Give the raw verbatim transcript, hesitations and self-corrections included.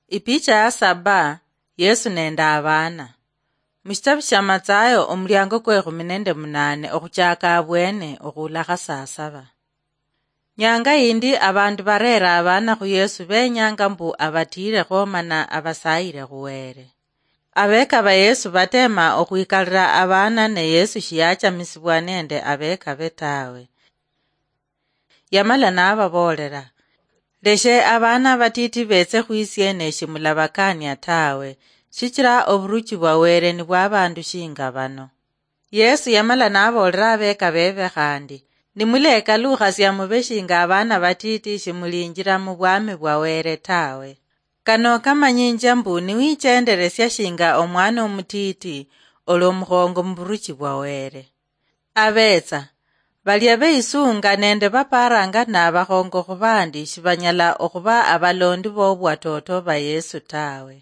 Ipicha ya saba. Yesu nende abaana. Mushitabu shia Matsayo, omuliango kwe ekhumi nende munane, okhuchaka abwene okhuulakha saa saba. Nyanga yindi, abandu bareera abaana khu Yesu, benyanga mbu abatiirekho mana abasayire khu Wele. Abeka ba Yesu batema okhwikalira abaana, ne Yesu shiyachamisibwa nende abeka be tawe. Yamala nababoolera, "Leshe abaana abatiti beetse khwisie, ne shimulabakania tawe, shichira oburuchi bwa Wele ni bwa abandu shinga bano." Yesu yamala naboolera abeka bebe khandi, "Nimulekalukhasia mube shinga abaana batiti, shimulinjira mu bwami bwa Wele tawe. Kano kamanyinjia mbu niwichenderesia shinga omwana omutiti, olwo omukhongo mu buruchi bwa Wele." Abetsa, balia beisunga nende baparanga nabakhongo khubandi shibanyala okhuba abalondi bobwatoto ba Yesu tawe.